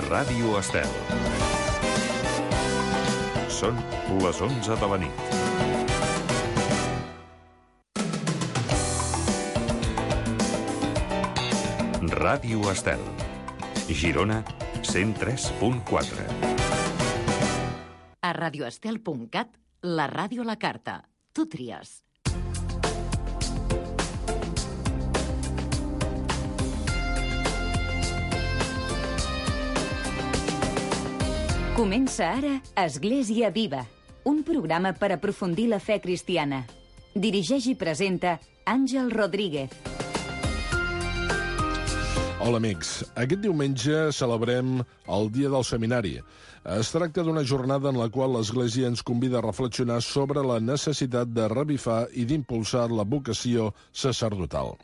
Ràdio Estel. Són les 11 de la nit. Ràdio Estel. Girona, 103.4. A radioestel.cat, la ràdio a la carta. Tu tries. Comença ara Església Viva, un programa per aprofundir la fe cristiana. Dirigeix i presenta Àngel Rodríguez. Hola, amics. Aquest diumenge celebrem el Dia del Seminari. Es tracta d'una jornada en la qual l'Església ens convida a reflexionar sobre la necessitat de revifar i d'impulsar la vocació sacerdotal.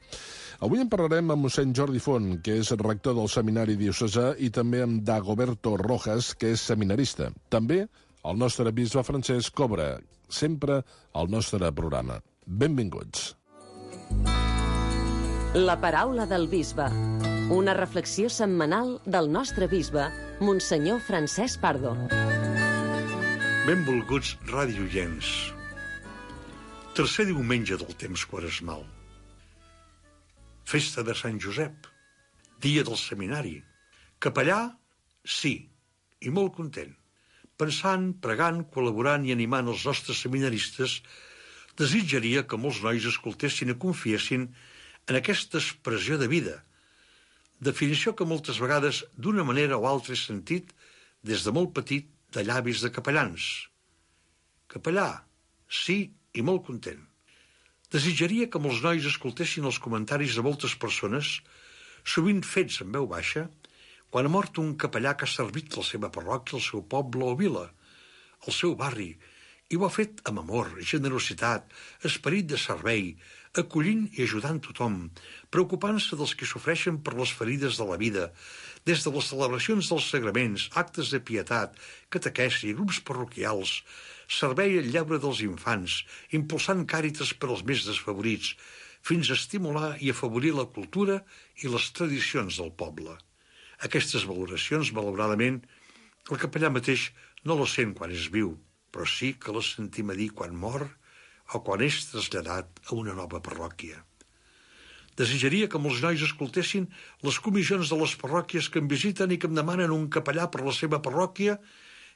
Avui en parlarem amb mossèn Jordi Font, que és rector del Seminari Diocesà, i també amb Dagoberto Rojas, que és seminarista. També el nostre bisbe Francesc Cobra, sempre al nostre programa. Benvinguts. La paraula del bisbe. Una reflexió setmanal del nostre bisbe, Monsenyor Francesc Pardo. Benvolguts radioients. Tercer diumenge del temps quaresmal. Festa de Sant Josep. Dia del seminari. Capellà, sí, i molt content. Pensant, pregant, col·laborant i animant els nostres seminaristes, desitjaria que molts nois escoltessin i confiessin en aquesta expressió de vida, definició que moltes vegades, d'una manera o altra, he sentit des de molt petit de llavis de capellans. Capellà, sí i molt content. Desitjaria que molts nois escoltessin els comentaris de moltes persones, sovint fets en veu baixa, quan ha mort un capellà que ha servit la seva parròquia, el seu poble o vila, el seu barri, i ho ha fet amb amor, generositat, esperit de servei, acollint i ajudant tothom, preocupant-se dels que sofreixen per les ferides de la vida, des de les celebracions dels sagraments, actes de pietat, catequesi, grups parroquials, servei al lleure dels infants, impulsant càritas per als més desfavorits, fins a estimular i afavorir la cultura i les tradicions del poble. Aquestes valoracions, malauradament, el capellà mateix no les sent quan és viu, però sí que les sentim a dir quan mor o quan és traslladat a una nova parròquia. Desitjaria que molts nois escoltessin les comissions de les parròquies que em visiten i que em demanen un capellà per la seva parròquia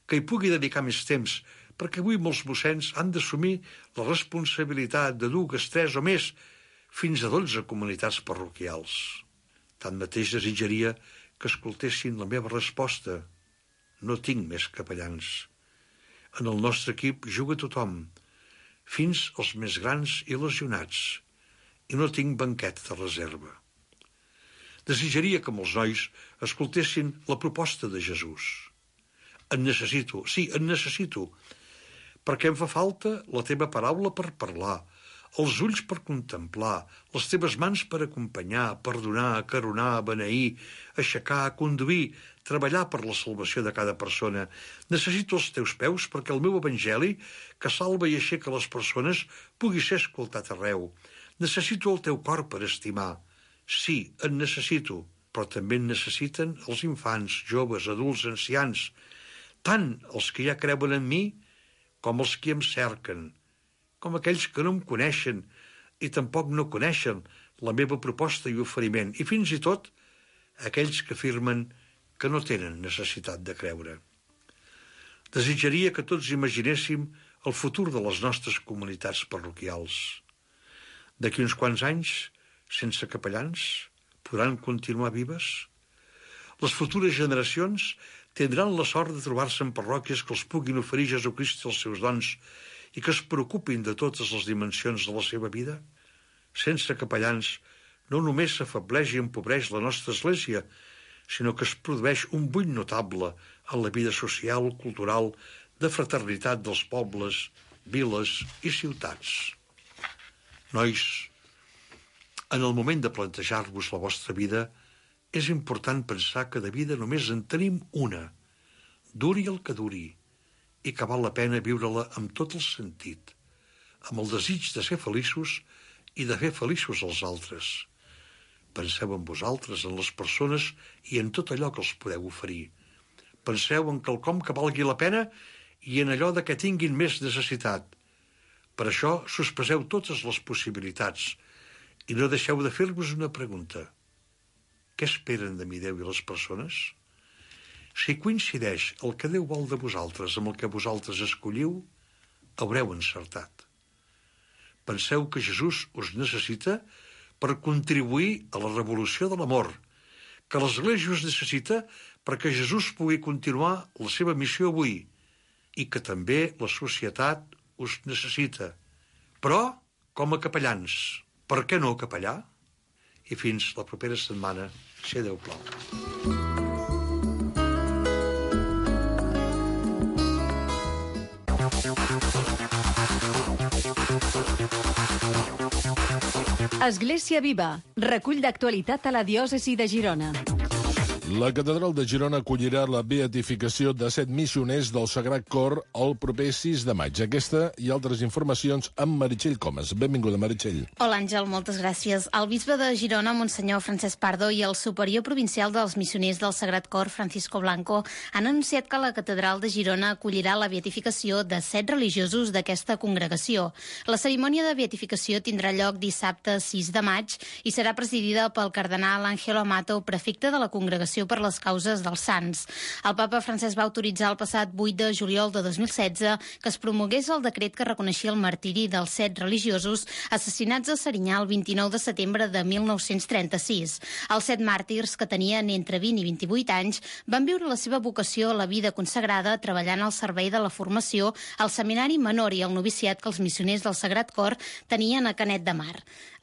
que hi pugui dedicar més temps, perquè avui molts mossens han d'assumir la responsabilitat de 2, 3 o més, fins a 12 comunitats parroquials. Tanmateix desitjaria que escoltessin la meva resposta. No tinc més capellans. En el nostre equip juga tothom, fins als més grans i lesionats, i no tinc banquet de reserva. Desitjaria que molts nois escoltessin la proposta de Jesús. En necessito, sí, en necessito, perquè em fa falta la teva paraula per parlar, els ulls per contemplar, les teves mans per acompanyar, perdonar, acaronar, beneir, aixecar, conduir, treballar per la salvació de cada persona. Necessito els teus peus perquè el meu evangeli, que salva i aixeca les persones, pugui ser escoltat arreu. Necessito el teu cor per estimar. Sí, en necessito, però també en necessiten els infants, joves, adults, ancians, tant els que ja creuen en mi com els que em cerquen, com aquells que no em coneixen i tampoc no coneixen la meva proposta i oferiment, i fins i tot aquells que afirmen que no tenen necessitat de creure. Desitjaria que tots imaginéssim el futur de les nostres comunitats parroquials. D'aquí uns quants anys, sense capellans, podran continuar vives? Les futures generacions tindran la sort de trobar-se en parròquies que els puguin oferir Jesucrist els seus dons i que es preocupin de totes les dimensions de la seva vida? Sense capellans, no només s'afebleix i empobreix la nostra església, sinó que es produeix un buit notable en la vida social, cultural, de fraternitat dels pobles, viles i ciutats. Nois, en el moment de plantejar-vos la vostra vida, és important pensar que de vida només en tenim una, duri el que duri, i que val la pena viure-la amb tot el sentit, amb el desig de ser feliços i de fer feliços els altres. Penseu en vosaltres, en les persones i en tot allò que els podeu oferir. Penseu en quelcom que valgui la pena i en allò de què tinguin més necessitat. Per això sospeseu totes les possibilitats i no deixeu de fer-vos una pregunta. Què esperen de mi Déu i les persones? Si coincideix el que Déu vol de vosaltres amb el que vosaltres escolliu, haureu encertat. Penseu que Jesús us necessita per contribuir a la revolució de l'amor, que l'Església us necessita perquè Jesús pugui continuar la seva missió avui i que també la societat us necessita. Però, com a capellans, per què no capellà? I fins la propera setmana, si Déu plau. Església Viva, recull d'actualitat a la diòcesi de Girona. La catedral de Girona acollirà la beatificació de 7 missioners del Sagrat Cor el proper 6 de maig. Aquesta i altres informacions amb Meritxell Comas. Benvinguda, Meritxell. Hola, Àngel, moltes gràcies. El bisbe de Girona, Monsenyor Francesc Pardo, i el superior provincial dels missioners del Sagrat Cor, Francisco Blanco, han anunciat que la catedral de Girona acollirà la beatificació de 7 religiosos d'aquesta congregació. La cerimònia de beatificació tindrà lloc dissabte 6 de maig i serà presidida pel cardenal Ángelo Amato, prefecte de la congregació per les causes dels sants. El papa Francesc va autoritzar el passat 8 de juliol de 2016 que es promogués el decret que reconeixia el martiri dels 7 religiosos assassinats a Serinyà el 29 de setembre de 1936. Els 7 màrtirs, que tenien entre 20 i 28 anys, van viure la seva vocació a la vida consagrada treballant al servei de la formació al seminari menor i al noviciat que els missioners del Sagrat Cor tenien a Canet de Mar.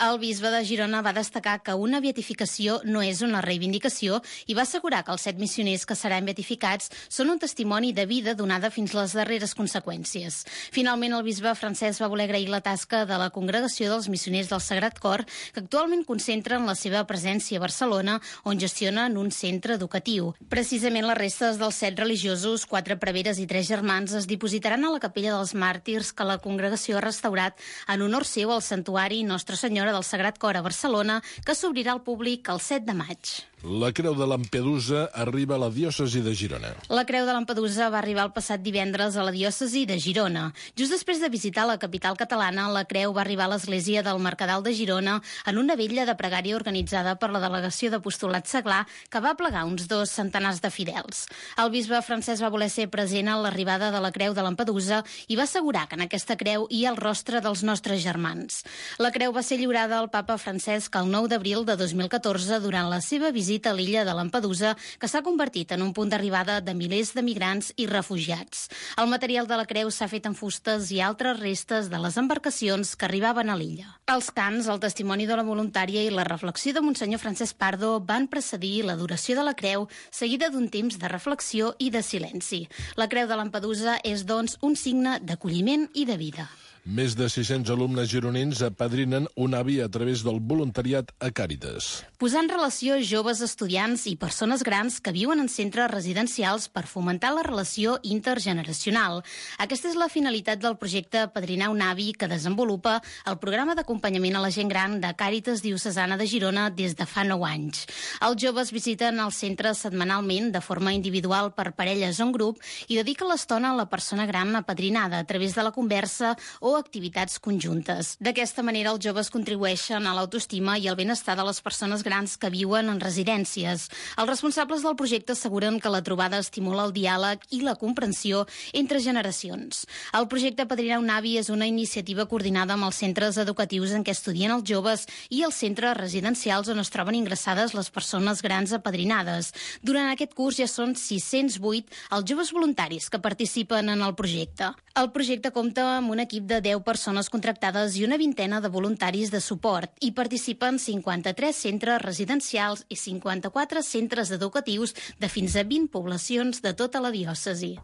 El bisbe de Girona va destacar que una beatificació no és una reivindicació i va assegurar que els 7 missioners que seran beatificats són un testimoni de vida donada fins les darreres conseqüències. Finalment, el bisbe Francesc va voler agrair la tasca de la congregació dels missioners del Sagrat Cor, que actualment concentren la seva presència a Barcelona, on gestionen un centre educatiu. Precisament les restes dels 7 religiosos, 4 preveres i 3 germans, es dipositaran a la capella dels màrtirs que la congregació ha restaurat en honor seu al santuari Nostra Senyora del Sagrat Cor a Barcelona, que s'obrirà al públic el 7 de maig. La Creu de Lampedusa arriba a la diòcesi de Girona. La Creu de Lampedusa va arribar el passat divendres a la diòcesi de Girona. Just després de visitar la capital catalana, la Creu va arribar a l'església del Mercadal de Girona en una vetlla de pregària organitzada per la delegació d'apostolat seglar que va plegar uns 2 centenars de fidels. El bisbe Francesc va voler ser present a l'arribada de la Creu de Lampedusa i va assegurar que en aquesta creu hi ha el rostre dels nostres germans. La creu va ser lliurada al papa Francesc el 9 d'abril de 2014 durant la seva visita a l'illa de Lampedusa, que s'ha convertit en un punt d'arribada de milers de migrants i refugiats. El material de la creu s'ha fet en fustes i altres restes de les embarcacions que arribaven a l'illa. Els cants, el testimoni de la voluntària i la reflexió de Monsenyor Francesc Pardo van precedir l'adoració de la creu, seguida d'un temps de reflexió i de silenci. La creu de Lampedusa és, doncs, un signe d'acolliment i de vida. Més de 600 alumnes gironins apadrinen un avi a través del voluntariat a Càritas. Posar en relació joves estudiants i persones grans que viuen en centres residencials per fomentar la relació intergeneracional. Aquesta és la finalitat del projecte Padrinar un avi que desenvolupa el programa d'acompanyament a la gent gran de Càritas Diocesana de Girona des de fa 9 anys. Els joves visiten el centre setmanalment de forma individual per parelles o en grup i dediquen l'estona a la persona gran apadrinada a través de la conversa o activitats conjuntes. D'aquesta manera, els joves contribueixen a l'autoestima i al benestar de les persones grans que viuen en residències. Els responsables del projecte asseguren que la trobada estimula el diàleg i la comprensió entre generacions. El projecte Padrinar un avi és una iniciativa coordinada amb els centres educatius en què estudien els joves i els centres residencials on es troben ingressades les persones grans apadrinades. Durant aquest curs ja són 608 els joves voluntaris que participen en el projecte. El projecte compta amb un equip de 10 persones contractades i una vintena de voluntaris de suport. Hi participen 53 centres residencials i 54 centres educatius de fins a 20 poblacions de tota la diòcesi.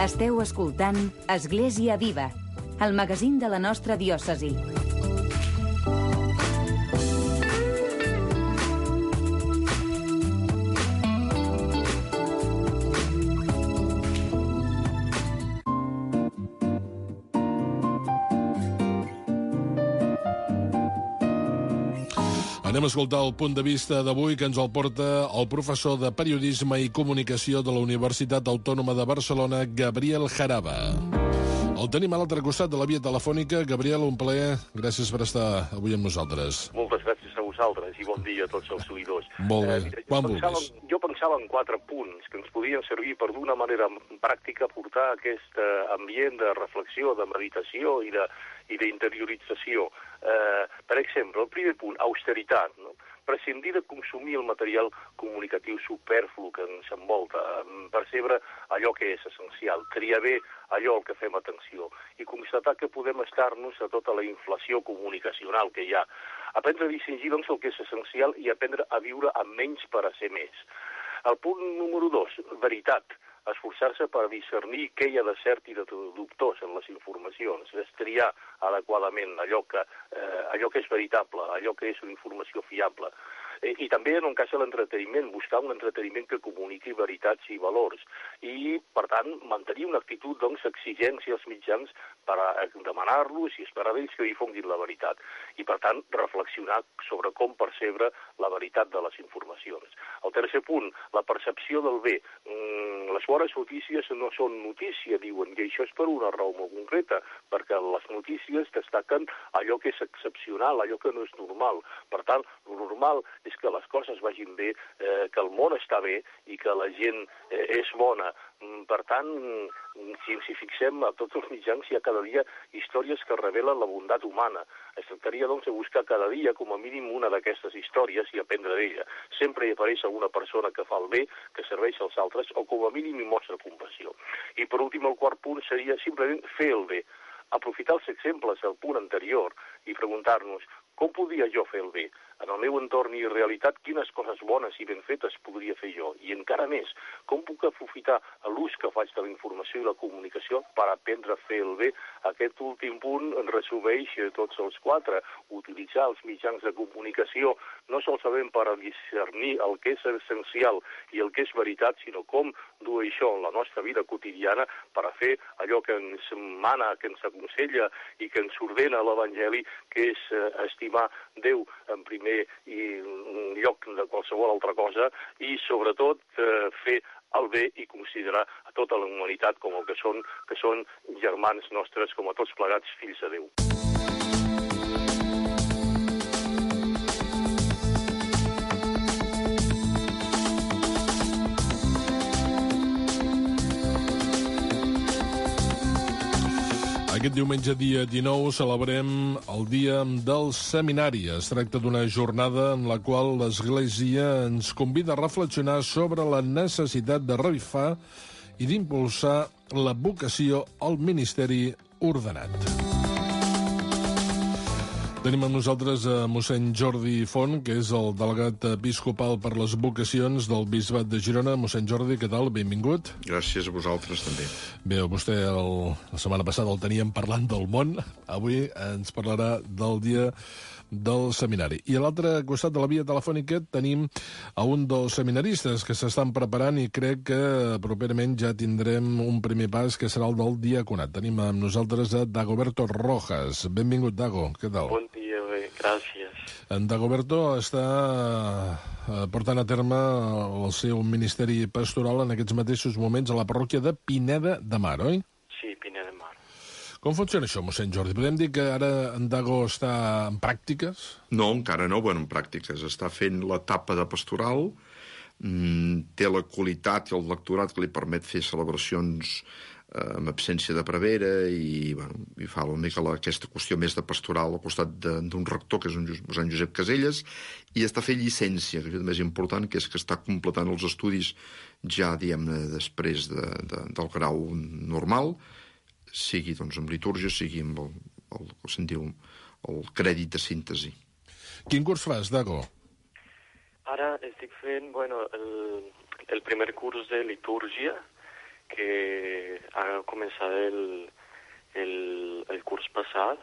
Esteu escoltant Església Viva, el magazín de la nostra diòcesi. Anem a escoltar el punt de vista d'avui que ens el porta el professor de Periodisme i Comunicació de la Universitat Autònoma de Barcelona, Gabriel Jaraba. El tenim a l'altre costat de la via telefònica. Gabriel, un plaer. Gràcies per estar avui amb nosaltres. Moltes gràcies a vosaltres i bon dia a tots els seguidors. Molt bé. Quan vulguis. Jo pensava en 4 punts que ens podien servir per d'una manera pràctica portar aquest ambient de reflexió, de meditació i d'interiorització. Per exemple, el primer punt, austeritat, no? Prescindir de consumir el material comunicatiu superflu que ens envolta, percebre allò que és essencial, triar bé allò al que fem atenció i constatar que podem estar-nos a tota la inflació comunicacional que hi ha. Aprendre a distingir, doncs, el que és essencial i aprendre a viure amb menys per a ser més. El punt número 2, veritat. Esforçar-se per discernir què hi ha de cert i de dubtós en les informacions, triar adequadament allò que és veritable, allò que és una informació fiable. I també, en el cas de l'entreteniment, buscar un entreteniment que comuniqui veritats i valors. I, per tant, mantenir una actitud, doncs, exigència als mitjans per demanar-los i esperar d'ells que difonguin la veritat. I, per tant, reflexionar sobre com percebre la veritat de les informacions. El tercer punt, la percepció del bé. Les bones notícies no són notícia, diuen, i això és per una raó molt concreta, perquè les notícies destaquen allò que és excepcional, allò que no és normal. Per tant, lo normal és que les coses vagin bé, que el món està bé i que la gent és bona. Per tant, si ens hi fixem, a tots els mitjans hi ha cada dia històries que revelen la bondat humana. Es tractaria, doncs, de buscar cada dia, com a mínim, una d'aquestes històries i aprendre d'ella. Sempre hi apareix alguna persona que fa el bé, que serveix als altres, o com a mínim hi mostra compassió. I, per últim, el quart punt seria simplement fer el bé. Aprofitar els exemples del punt anterior i preguntar-nos com podia jo fer el bé? En el meu entorn i realitat, quines coses bones i ben fetes podria fer jo? I encara més, com puc aprofitar l'ús que faig de la informació i la comunicació per aprendre a fer el bé? Aquest últim punt en resumeix tots els 4. Utilitzar els mitjans de comunicació no solament per discernir el que és essencial i el que és veritat, sinó com dur això en la nostra vida quotidiana per a fer allò que ens mana, que ens aconsella i que ens ordena l'Evangeli, que és estimar Déu en primer lloc de qualsevol altra cosa i, sobretot, fer el bé i considerar a tota la humanitat com el que són germans nostres, com a tots plegats fills de Déu. Aquest diumenge, dia 19, celebrem el Dia del Seminari. Es tracta d'una jornada en la qual l'Església ens convida a reflexionar sobre la necessitat de revifar i d'impulsar la vocació al ministeri ordenat. Tenim amb nosaltres a mossèn Jordi Font, que és el delegat episcopal per les vocacions del Bisbat de Girona. Mossèn Jordi, què tal? Benvingut. Gràcies a vosaltres, també. Bé, vostè la setmana passada el teníem parlant del món. Avui ens parlarà del dia del seminari. I a l'altre costat de la via telefònica tenim a un dels seminaristes que s'estan preparant i crec que properament ja tindrem un primer pas que serà el del diaconat. Tenim amb nosaltres a Dagoberto Rojas. Benvingut, Dago. Què tal? Bon dia, bé, gràcies. En Dagoberto està portant a terme el seu ministeri pastoral en aquests mateixos moments a la parròquia de Pineda de Mar, oi? Sí, Pineda de Mar. Com funciona això, mossèn Jordi? Podem dir que ara en Dago està en pràctiques? No, encara no, en pràctiques. Està fent l'etapa de pastoral, té la qualitat i el lectorat que li permet fer celebracions amb absència de prevera i fa una mica aquesta qüestió més de pastoral al costat d'un rector, que és un mossèn Josep Caselles, i està fent llicència, que és el més important, que és que està completant els estudis ja, diguem-ne, després del grau normal, sigui doncs amb litúrgia, sigui amb el que se'n diu el crèdit de síntesi. Quin curs fas, Dago? Ara estic fent, el primer curs de litúrgia, que ha començat el curs passat,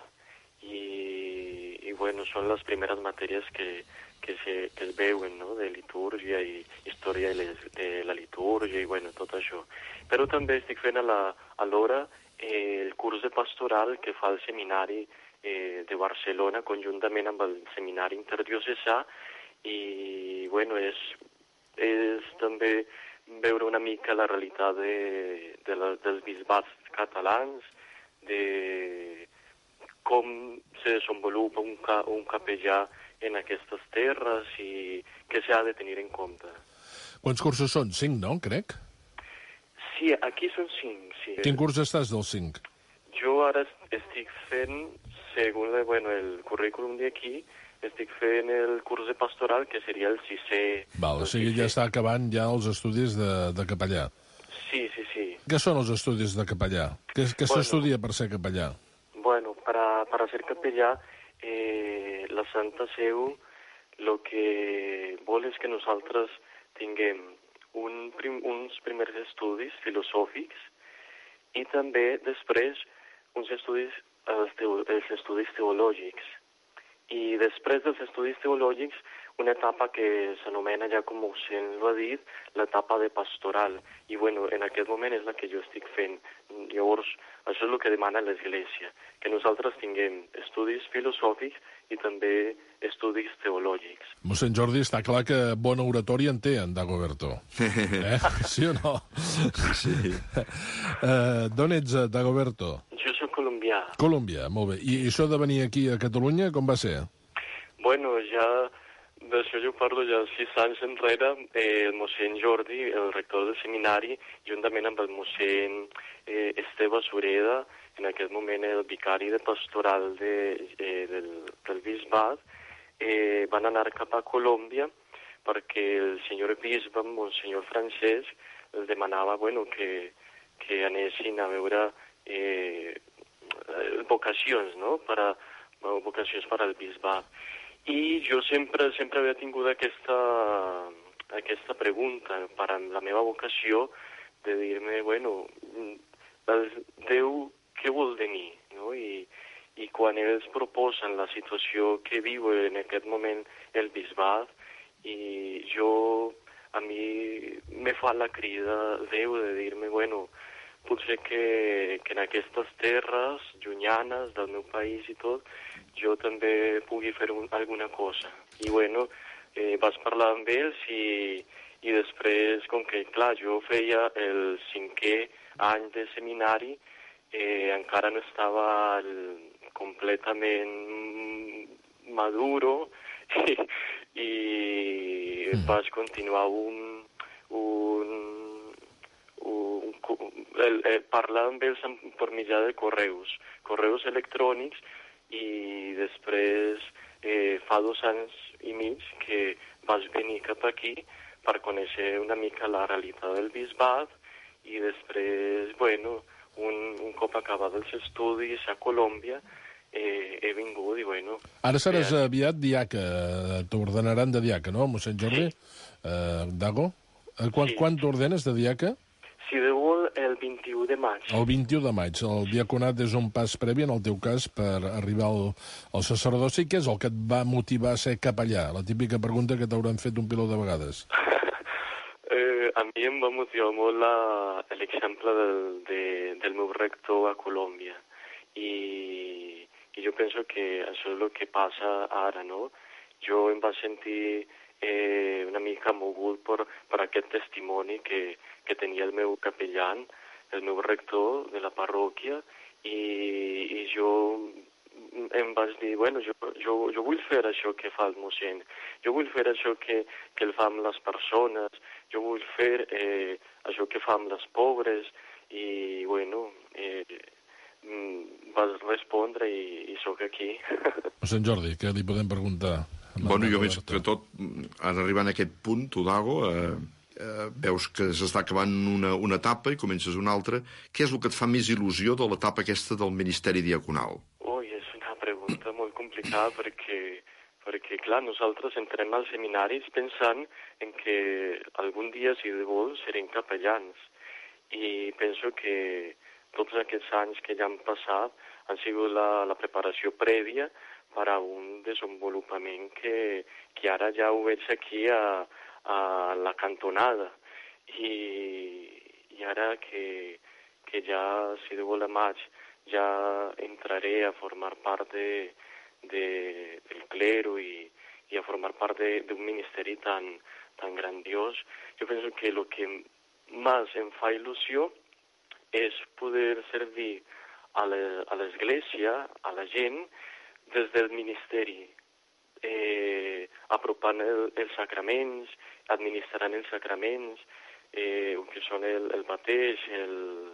i són les primeres matèries que es veuen, no?, de litúrgia i història de la litúrgia i tot això. Però també estic fent alhora el curs de pastoral que fa el seminari de Barcelona, conjuntament amb el Seminari Interdiocesà, i bueno, és també veure una mica la realitat dels bisbats catalans, de com se desenvolupa un capellà en aquestes terres i què s'ha de tenir en compte. Quants cursos són? 5, no, crec? Sí, aquí són 5, sí. Quin curs estàs dels 5? Jo ara estic fent, segons el currículum d'aquí, estic fent el curs de pastoral, que seria el 6è. Val, o sigui, ja està acabant ja els estudis de capellà. Sí. Què són els estudis de capellà? Què s'estudia per ser capellà? Bueno, para ser capellà, la Santa Seu el que vol és que nosaltres tinguem uns primers estudis filosòfics i també després els estudis teològics. I després dels estudis teològics, una etapa que s'anomena, ja com se'n ho ha dit, l'etapa de pastoral. I bueno, en aquest moment és la que jo estic fent. Llavors, això és el que demana l'Església, que nosaltres tinguem estudis filosòfics i també estudis teològics. Mossèn Jordi, està clar que bona oratòria en té, en Dagoberto. Sí o no? Sí. D'on ets, Dagoberto? Jo soc colombià. Colòmbia, molt bé. I això de venir aquí a Catalunya, com va ser? Bueno, ja d'això jo parlo ja 6 anys enrere. El mossèn Jordi, el rector del seminari, juntament amb el mossèn Esteve Sureda, en aquest moment el vicari de pastoral del bisbat, van anar cap a Colòmbia perquè el senyor bisbe, monsenyor Francesc, els demanava que anessin a veure vocacions, no? Vocacions per al bisbat. I jo sempre havia tingut aquesta pregunta per a la meva vocació de dir-me, Déu, què vol de mi? No? I quan ells proposen la situació que viu en aquest moment el bisbat, i a mi me fa la crida Déu de dir-me, potser que en aquestes terres llunyanes del meu país i tot, jo també pugui fer alguna cosa. I vaig parlar amb ells i després, com que, clar, jo feia el 5è any de seminari, encara no estava completament maduro i vaig continuar parlar amb ells per mitjà de correus electrònics, i després fa 2 anys i mig que vaig venir cap aquí per conèixer una mica la realitat del bisbat, i després, un cop acabat els estudis a Colòmbia, he vingut i Ara seràs aviat diaca, t'ordenaran de diaca, no, mossèn Jordi? Sí. Dago? Quan t'ordenes de diaca? Si Déu vol, el 21 de maig. El 21 de maig. El diaconat és un pas previ, en el teu cas, per arribar al sacerdoci. Què és el que et va motivar a ser capellà? La típica pregunta que t'hauran fet un piló de vegades. A mi em va motivar molt l'exemple del meu rector a Colòmbia. I jo penso que això és el que passa ara, no? Jo em vaig sentir una mica mogut per aquest testimoni que tenia el meu capellà, el meu rector de la parròquia, i jo em vaig dir, jo vull fer això que fa el mossèn, jo vull fer això que el fa amb les persones, jo vull fer això que fa amb les pobres, i vas respondre i sóc aquí. Mossèn Jordi, què li podem preguntar? Jo veig que tot, en arribar a aquest punt, tu, Dago, veus que s'està acabant una etapa i comences una altra. Què és el que et fa més il·lusió de l'etapa aquesta del ministeri diaconal? És una pregunta molt complicada perquè, clar, nosaltres entrem als seminaris pensant en que algun dia, si de vol, serem capellans. I penso que tots aquests anys que ja han passat han sigut la preparació prèvia per a un desenvolupament que ara ja ho veig aquí a la cantonada. I ara que ja, si de vol, a maig ya entraré a formar parte del clero y a formar parte de un ministerio tan grandioso. Yo pienso que lo que más em fa il·lusió és poder servir a l'Església, a la gent, des del ministeri, apropant els sacraments, administrant els sacraments, que són el mateix, el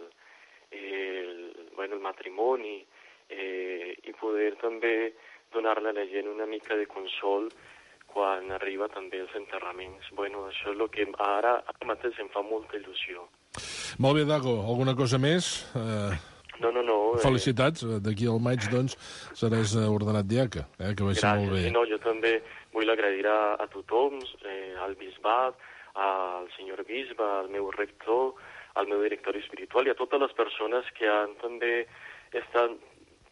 matrimoni, i poder també donar-li a la gent una mica de consol quan arriba també els enterraments. Bueno, això és el que ara mateix em fa molta il·lusió. Molt bé, Dago. Alguna cosa més? No. Felicitats. D'aquí al maig, doncs, seràs ordenat diaca. Que vagi molt bé. Gràcies. No, jo també vull agrair a tothom, al bisbat, al senyor bisbe, al meu rector, al meu director espiritual i a totes les persones que han també estat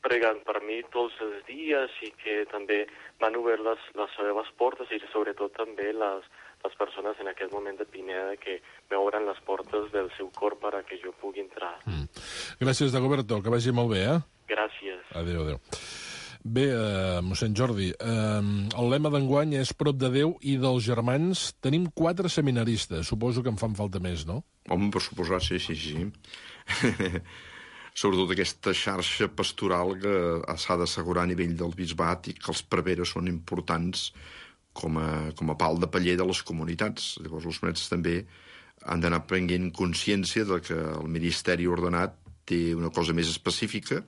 pregant per mi tots els dies i que també m'han obert les seves portes i sobretot també les persones en aquest moment de Pineda que m'obren les portes del seu cor perquè jo pugui entrar. Gràcies, Dagoberto, que vagi molt bé, Gràcies. Adéu. Bé, mossèn Jordi, el lema d'enguany és prop de Déu i dels germans. Tenim 4 seminaristes, suposo que en fan falta més, no? Home, per suposar, sí. Sobretot aquesta xarxa pastoral que s'ha d'assegurar a nivell del bisbat i que els preveres són importants com a pal de paller de les comunitats. Llavors els monets també han d'anar prenent consciència de que el ministeri ordenat té una cosa més específica,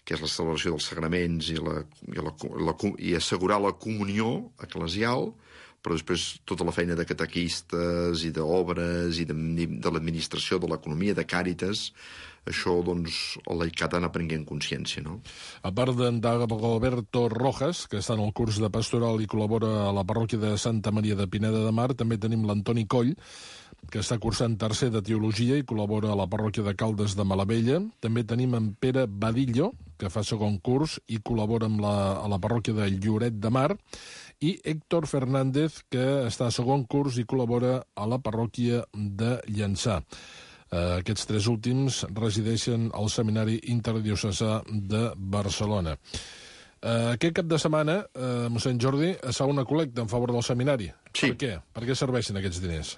que és la celebració dels sagraments i assegurar la comunió eclesial, però després tota la feina de catequistes i d'obres i de l'administració, de l'economia, de càritas, això, doncs, el laicat ha d'anar prenent consciència, no? A part d'en Dagoberto Rojas, que està en el curs de pastoral i col·labora a la parròquia de Santa Maria de Pineda de Mar, també tenim l'Antoni Coll, que està cursant tercer de Teologia i col·labora a la parròquia de Caldes de Malavella. També tenim en Pere Badillo, que fa segon curs i col·labora a la parròquia de Lloret de Mar, i Héctor Fernández, que està a segon curs i col·labora a la parròquia de Llançà. Aquests 3 últims resideixen al Seminari Interdiocesà de Barcelona. Aquest cap de setmana, mossèn Jordi, es fa una col·lecta en favor del seminari. Sí. Per què? Per què serveixen aquests diners?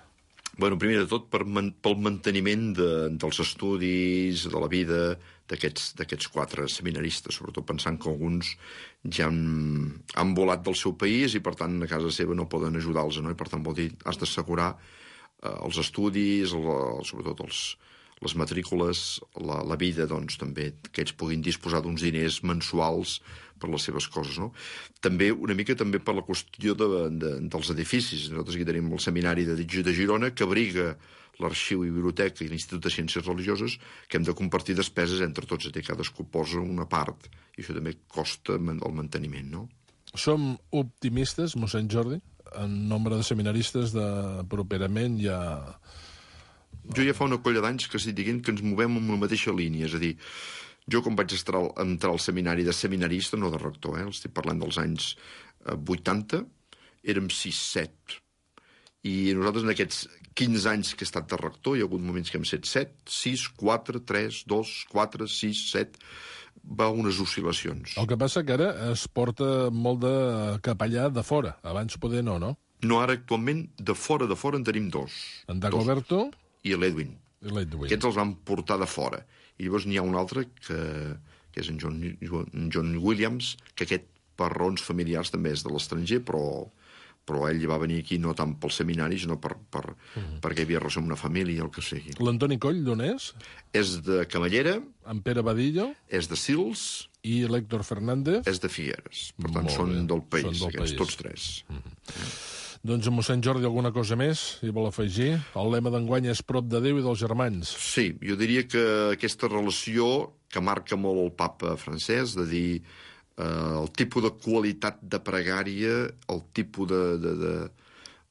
Bueno, primer de tot, pel manteniment dels estudis, de la vida d'aquests 4 seminaristes, sobretot pensant que alguns ja han volat del seu país i, per tant, a casa seva no poden ajudar-los, no? I, per tant, vol dir, has d'assegurar els estudis, sobretot les matrícules, la vida, doncs, també, que ells puguin disposar d'uns diners mensuals per les seves coses, no? També, una mica també per la qüestió dels edificis. Nosaltres aquí tenim el Seminari de Girona, que abriga l'arxiu i biblioteca i l'Institut de Ciències Religioses, que hem de compartir despeses entre tots, i cadascú posa una part, i això també costa el manteniment, no? Som optimistes, mossèn Jordi, en nombre de seminaristes properament ja... Jo ja fa una colla d'anys que estic dient que ens movem en la mateixa línia, és a dir, jo quan vaig entrar al seminari de seminarista, no de rector, estic parlant dels anys 80, érem 6-7. I nosaltres en aquests 15 anys que he estat de rector, hi ha hagut moments que hem set 7, 6, 4, 3, 2, 4, 6, 7... va unes oscil·lacions. El que passa que ara es porta molt de capellà de fora. Abans poder no? No, ara actualment de fora en tenim 2. En Dagoberto i l'Edwin. Aquests els van portar de fora. I llavors n'hi ha un altre, que és en John Williams, que aquest per raons familiars també és de l'estranger, però ell va venir aquí no tant pel seminari, sinó perquè havia relació amb una família, el que sigui. L'Antoni Coll, d'on és? És de Camallera. En Pere Badillo. És de Sils. I l'Héctor Fernández. És de Figueres. Per tant, són del país, aquests tots 3. Doncs, mossèn Jordi, alguna cosa més hi vol afegir? El lema d'enguany és prop de Déu i dels germans. Sí, jo diria que aquesta relació que marca molt el papa francès, de dir el tipus de qualitat de pregària, el tipus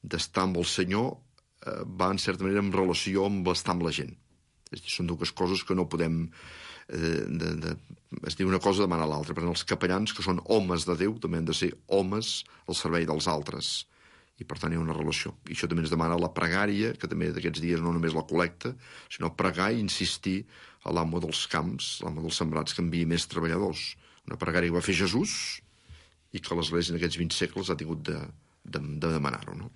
d'estar amb el Senyor, va en certa manera en relació amb estar amb la gent. Són 2 coses que no podem... es diu una cosa demana l'altra. Per tant, els capellans, que són homes de Déu, també han de ser homes al servei dels altres. i per tant hi ha una relació. I això també ens demana la pregària, que també d'aquests dies no només la col·lecta, sinó pregar i insistir a l'amo dels camps, l'amo dels sembrats, que enviï més treballadors. Una pregària que va fer Jesús i que l'Església en aquests 20 segles ha tingut de demanar-ho, no?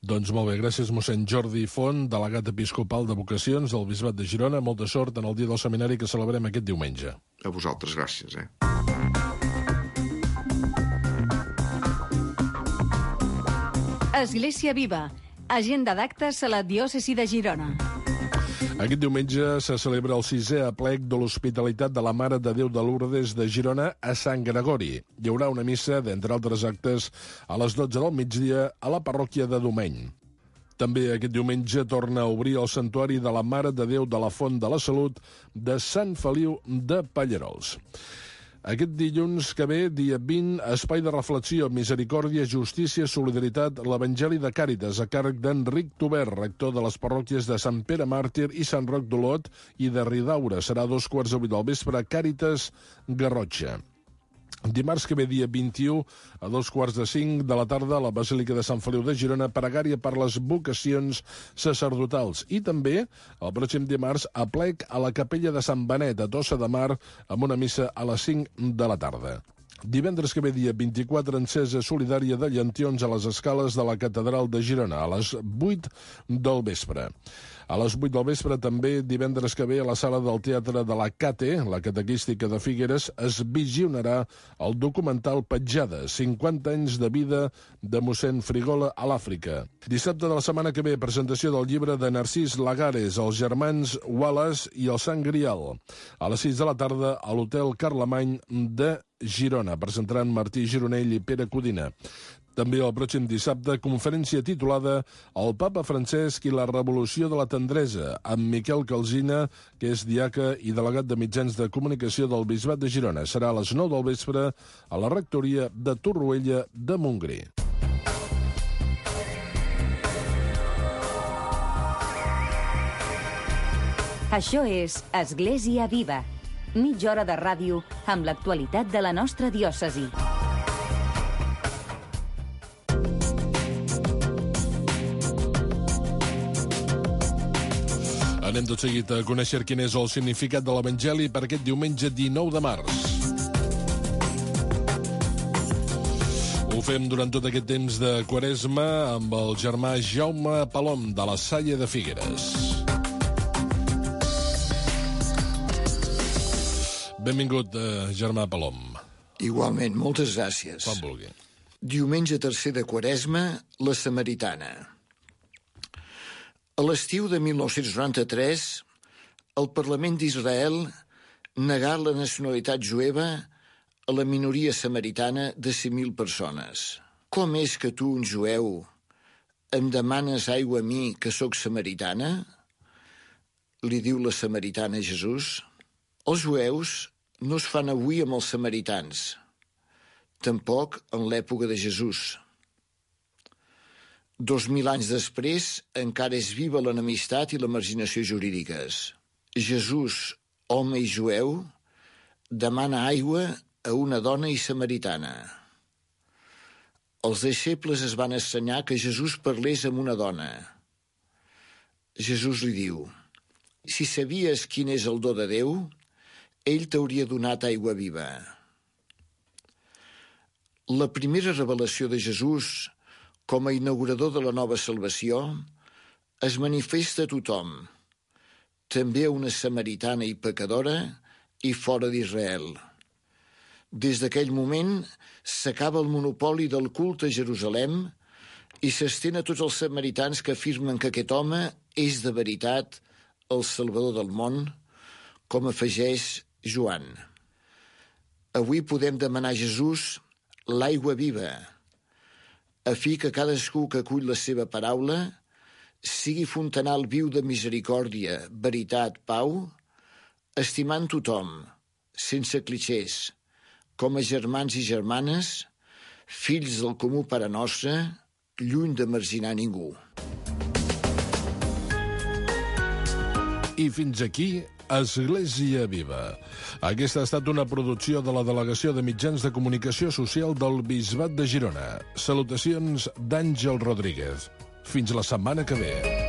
Doncs molt bé, gràcies mossèn Jordi Font, delegat episcopal de vocacions del Bisbat de Girona. Molta sort en el dia del seminari que celebrem aquest diumenge. A vosaltres, gràcies. Església Viva, agenda d'actes a la diòcesi de Girona. Aquest diumenge se celebra el 6è aplec de l'Hospitalitat de la Mare de Déu de Lourdes de Girona a Sant Gregori. Hi haurà una missa, d'entre altres actes, a les 12 del migdia a la parròquia de Domeny. També aquest diumenge torna a obrir el Santuari de la Mare de Déu de la Font de la Salut de Sant Feliu de Pallerols. Aquest dilluns que ve, dia 20, espai de reflexió, misericòrdia, justícia, solidaritat, l'Evangeli de Càritas, a càrrec d'Enric Tober, rector de les parròquies de Sant Pere Màrtir i Sant Roc d'Olot i de Ridaura. Serà a 2:15 del vespre a Càritas Garrotxa. Dimarts que ve, dia 21, a 4:45 de la tarda, a la Basílica de Sant Feliu de Girona, pregària per les vocacions sacerdotals. I també, el pròxim dimarts, aplec a la capella de Sant Benet, a Tossa de Mar, amb una missa a les 5 de la tarda. Divendres que ve, dia 24, encesa solidària de llantions a les escales de la Catedral de Girona, a les 8 del vespre. A les 8 del vespre, també, divendres que ve, a la sala del Teatre de la CATE, la Catequística de Figueres, es visionarà el documental Petjada, 50 anys de vida de mossèn Frigola a l'Àfrica. Dissabte de la setmana que ve, presentació del llibre de Narcís Lagares, Els germans Wallace i el Sant Grial. A les 6 de la tarda, a l'Hotel Carlemany de Girona. Presentaran Martí Gironell i Pere Codina. També el pròxim dissabte, conferència titulada El papa Francesc i la revolució de la tendresa, amb Miquel Calsina, que és diaca i delegat de mitjans de comunicació del Bisbat de Girona. Serà a les 9 del vespre a la rectoria de Torroella de Montgrí. Això és Església Viva, mitja hora de ràdio amb l'actualitat de la nostra diòcesi. Anem tot seguit a conèixer quin és el significat de l'Evangeli per aquest diumenge 19 de març. Ho fem durant tot aquest temps de Quaresma amb el germà Jaume Palom de la Salle de Figueres. Benvingut, germà Palom. Igualment, moltes gràcies. Quan vulgui. Diumenge tercer de Quaresma, la Samaritana. A l'estiu de 1993, el Parlament d'Israel negà la nacionalitat jueva a la minoria samaritana de 100.000 persones. Com és que tu, un jueu, em demanes aigua a mi, que sóc samaritana? Li diu la samaritana a Jesús. Els jueus no es fan avui amb els samaritans, tampoc en l'època de Jesús. 2000 anys després, encara és viva l'enemistat i la marginació jurídiques. Jesús, home i jueu, demana aigua a una dona i samaritana. Els deixebles es van estranyar que Jesús parlés amb una dona. Jesús li diu: si sabies quin és el do de Déu, ell t'hauria donat aigua viva. La primera revelació de Jesús com a inaugurador de la nova salvació, es manifesta a tothom, també a una samaritana i pecadora i fora d'Israel. Des d'aquell moment s'acaba el monopoli del culte a Jerusalem i s'estén a tots els samaritans que afirmen que aquest home és de veritat el Salvador del món, com afegeix Joan. Avui podem demanar a Jesús l'aigua viva, a fi que cadascú que acull la seva paraula sigui fontanal viu de misericòrdia, veritat, pau, estimant tothom, sense clixés, com a germans i germanes, fills del comú Pare Nostre, lluny de marginar ningú. I fins aquí, Església Viva. Aquesta ha estat una producció de la Delegació de Mitjans de Comunicació Social del Bisbat de Girona. Salutacions d'Àngel Rodríguez. Fins la setmana que ve.